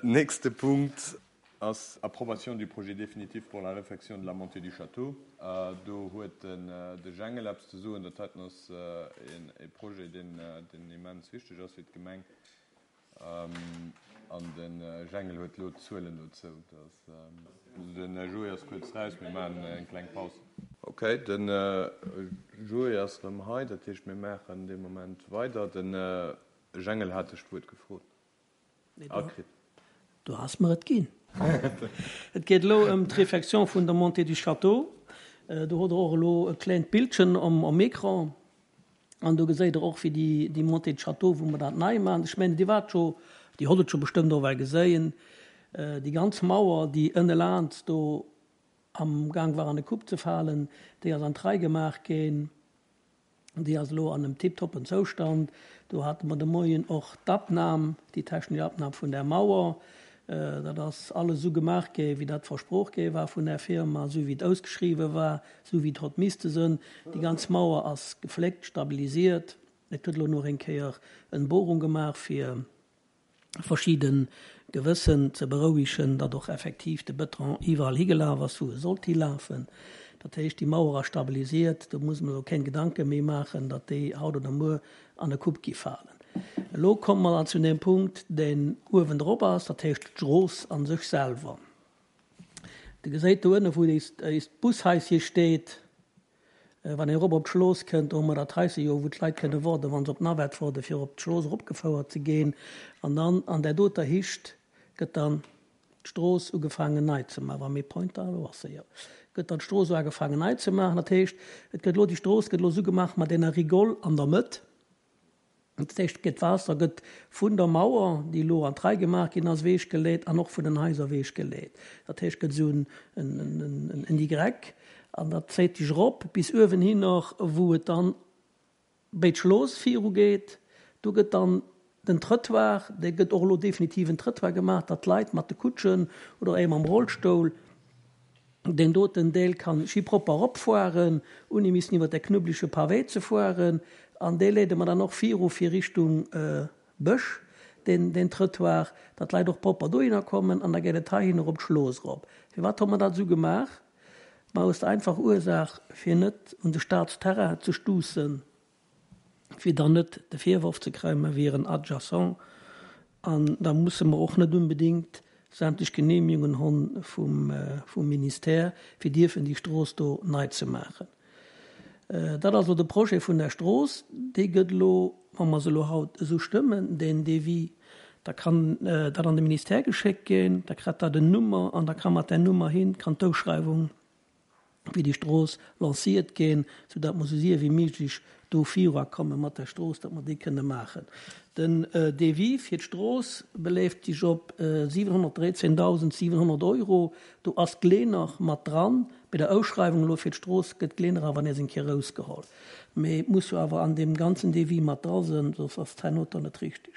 Nächste Punkt ass Approbation du projet définitif pour la réfection de la montée du château. Do huet de Jengel eppes ze soen. Dat heiten ass e Projet, deen immens wichteg ass fir d'Gemeng. An de Jengel huet elo d'Zuelen dozou. De Joé ass kuerz raus, mir maachen eng kleng Paus. Ok, de Joé ass erëm hei, dat heescht mir maachen dee Moment weider. De Jengel hat dech d'Wuert gefrot a kritt. Du has mer et ginn. Et geet elo ëm d'Réfection vun der Montée du Château. Do hutt Der och elo e klengt Bildchen um Ecran. An do geséit Der och, wéi déi, déi Montée de Château, wou mer dat nei maachen. Ech mengen, Dir waart scho, Dir hott et scho bestëmmt och well geséien, déi ganz Mauer, déi ënne laans do am Gang war an e Coup ze falen, déi ass an d'Rei gemaach ginn. Déi ass elo an engem tiptoppen Zoustand. Do hate mer de Moien och d'Abnam, déi technesch Abnam vun där Mauer. Dat ass alles esou gemaach gi wéi dat versprooch gi war vun där Firma, esou wéi et ausgeschriwwen war, esou wéi et hott misste sënn. Déi ganz Mauer ass gefléckt, stabilisiert. Et gëtt elo nach eng Kéier en Bohrung gemaach fir verschidde Gewëssen ze berouegen, datt och effektiv de Bëton iwwerall higelaf ass wou e sollt hilafen. Dat heescht, déi Mauer ass stabilisiert, do muss mer elo keng Gedanke méi maachen, datt déi haut oder muer an e Coup gi falen. Elo komme mer dann zu deem Punkt, deen uewendrop ass, dat heescht d'Strooss a sech selwer. Der geséit do ënne wou éist Bushaisje steet, wann een erop op d'Schlooss kënnt, do hu mer dat Haisje jo, wou d'Leit kënne woarden, wa se op d'Navette woarden, fir op d'Schlooss eropgefouert ze ginn. An dann an där doter Hicht gëtt dann d'Strooss ugefaangen nei ze maachen, wa méi Pointer, elo ass se jo, gëtt dann d'Strooss uagefaangen nei ze maachen. Dat heescht, et gëtt elo, déi Strooss gëtt elo esou gemaach mat enger Rigole an der Mëtt. Dat heescht, et gëtt d'Waasser gëtt vun der Mauer, déi elo an d'Rei gemaach ginn ass, ewechgeleet an och vun den Haiser ewechgeleet. Dat heescht, et gëtt esou en, en, en Y an dat zéit sech erop bis uewenhinner, wou et dann Béi d'Schlooss viru geet, do gëtt dann den Trëttoir, dee gëtt och elo definitiv en Trëttoir gemaach, datt d'Leit mat de Kutschen oder ee mam Rollstoul deen doten Deel kann schi propper eropfueren, ouni missen iwwer de knubbelege Pavé ze fueren. An dee leede mer dann och viru fir Richtung Bësch, deen, deen Trëttoir, datt d'Leit och propper dohinner kommen an da geet et heihinner op d'Schlooss erop. Firwat hu mer dat esou gemaach? Ma aus der einfacher Ursaach, fir net un de Staatsterrain ze stuussen, fir dann net de Virworf ze kréien, mer wieren adjacent. An da musse mer och net unbedéngt sämtlech Genehmigungen honn vum Ministère, fir dierfen déi Strooss do nei ze maachen. Dat ass elo de Projet vun der Strooss. Dee gëtt elo, wa mer se elo haut esou stëmmen, deen Devis, da kann dat an de Ministère geschéckt ginn, da kritt dat en Nummer an da ka mat där Nummer hin, kann d'Ouschreiwung fir déi Strooss lanciert ginn, soudatt mer esou séier wéi méiglech do viruakomme mat der Strooss, datt mer déi kënne maachen. Den Devis fir d'Strooss beléift sech op 713.700 Euro. Do ass d'Glener mat dran. Bei der Ausschreiwung elo fir d'Strooss gëtt d'Glener awer nees eng Kéier erausgeholl. Mee et muss jo awer an deem ganzen Devis mat dra sënn, soss ass d'Herno dann net richteg.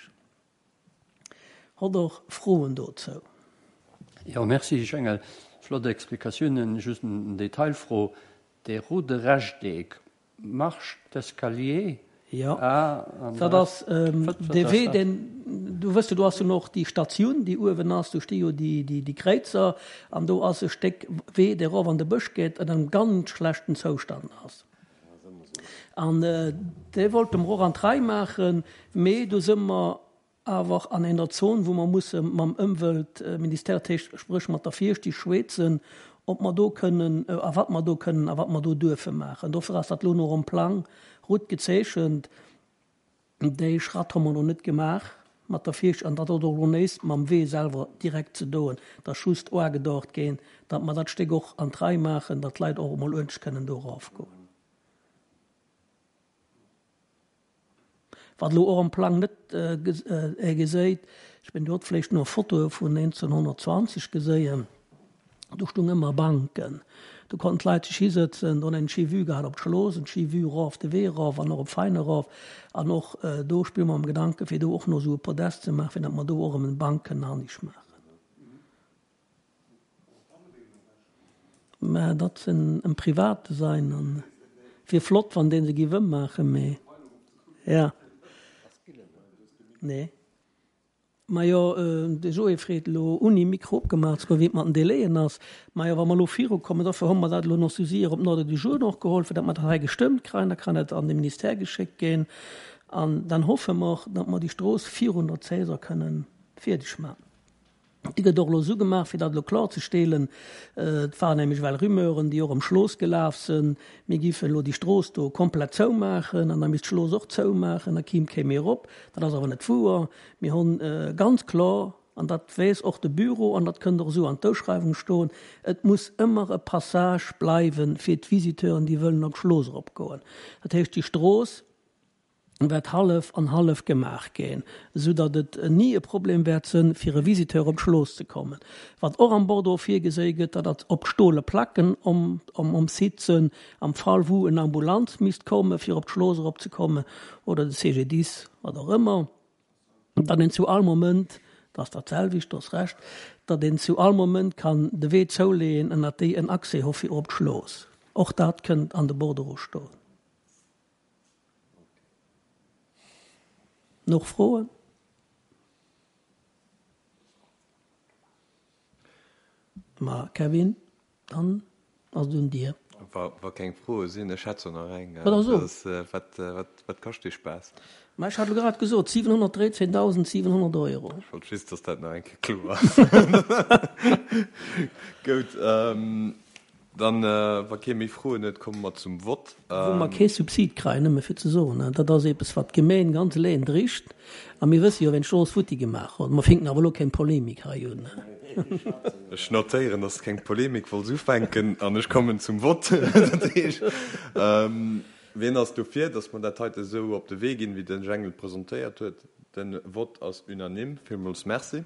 Hott och Froen dozou? Jo, merci Jengel, flott Explikatiounen. Just en Detailfro, Dee roude Rechteck, Marche d'escalier? Jo, dat ass dee Wee, deen, du wëss jo, do ass jo och déi Statioun, déi uewen ass, do sti jo déi Kréizer an do ass e Stéck Wee, dee erof an de Bësch geet, an engem ganz schlechten Zoustand ass. An dee wollte mer och an d'Rei maachen, mee do si mer awer an enger Zon, wou mer musse mam Ëmweltministère, dat heescht spréch mat der Fierscht, déi schwätzen, ob mer do kënnen a wat mer do kënnen a wat mer do duerfe maachen. Dofir ass dat elo nach um Plang rout gezeechent. Déi Schratt hu mer elo net gemaach mat der Fierscht an dat huet och elo näischt mam Wee selwer direkt ze doen. Et ass just uagedauert ginn, datt mer dat Stéck och an d'Rei maachen, datt d'Leit och emol uerdentlech kënnen do erafgoen. Wat elo och am Plang net geséit, ech mengen, Dir hutt vläicht nach Fotoe vun 1920 geséien, do stung ëmmer Banken, do konnten d'Leit sech hisëtzen, do hunn eng schéi Vue gehat op d'Schlooss, eng schéi Vue erof de Wee erof an och op Vein erof. An och do spille mer mam Gedanken, fir do och nach esou e Podest ze maachen, fir datt mer do och erëm eng Bank kënnen anescht maachen. Mä dat sinn em private sein an wier flott wann deen se giff ëmmaachen, mee ja nee. Majo, de Joé freet elo ouni Mikro opgemaach ze goen, wéi et mat den Délaiën ass. Majo, wa mer elo virukommen, dofir hu mer dat elo nach sou séier op den Ordre du jour och geholl, fir datt mer dat hei gestëmmt kréien, da kann et an de Ministère geschéckt ginn an dann hoffe mer, datt mer déi Strooss virun der Saison kënnen fierdeg maachen. Déi gëtt och elo esou gemaach, fir dat elo klorzestelen, et waren nämlech ewell Rumeuren, déi och ëm Schlooss gelaf sënn, mir giffen elo déi Strooss do komplett zoumaachen an da misst d'Schlooss och zoumaachen, da kiim kee méi erop. Dat ass awer net wouer. Mir hunn ganz kloer, an dat weess och de Büro an dat kënnt och esou an d'Ouschreiwung stoen, et muss ëmmer e Passage bleiwe fir d'Visiteuren, déi wëllen op d'Schlooss eropgoen. Dat heescht, déi Strooss wäert hallef an hallef gemaach ginn, esou datt et ni e Problem wäert sënn, fir e Visiteur op d'Schlooss ze kommen. Wat och am Bordereau virgeséi gëtt, dat ass op d'stole Placken om Site sënn, am Fall wou en Ambulanz misst komme fir op d'Schlooss erop ze kommen oder de CGDIS, wat och ëmmer, datt een zu all Moment, dat ass dat selwecht, do ass Recht, datt een zu all Moment kann de Wee zouleeën an datt déi en Accès hu fir op d'Schlooss. Och dat kënnt an de Bordereau stoen. Noch Froen? Ma Kevin, dann ass et un dir. Wa keng Froe sinn, ech hätt zwar nach eng. Ma da so. Wat kascht dee Spaass? Ma ech hat elo grad gesot, 713.700 Euro. Ech wollt just, dass dat nach eng Kéier kloer ass. Goud. Dann, wa kee méi Froen huet, komme mer zum Vott. Wou mer kee Subsid kreien, nëmme fir ze soen, dat ass eppes, wat d'Gemeen ganz eleng dricht. A mir wësse jo, ween d'Strooss futti gemaach huet. Mer finken awer elo keng Polemik hei un. Ech notéieren, dass de keng Polemik wollts ufänken an ech kommen zum Vott. Dat heescht, wien ass dofir, dass mer dat heite esou op de Wee ginn, wéi de Jengel et presentéiert huet? De Vott ass unanime. Villmools Merci.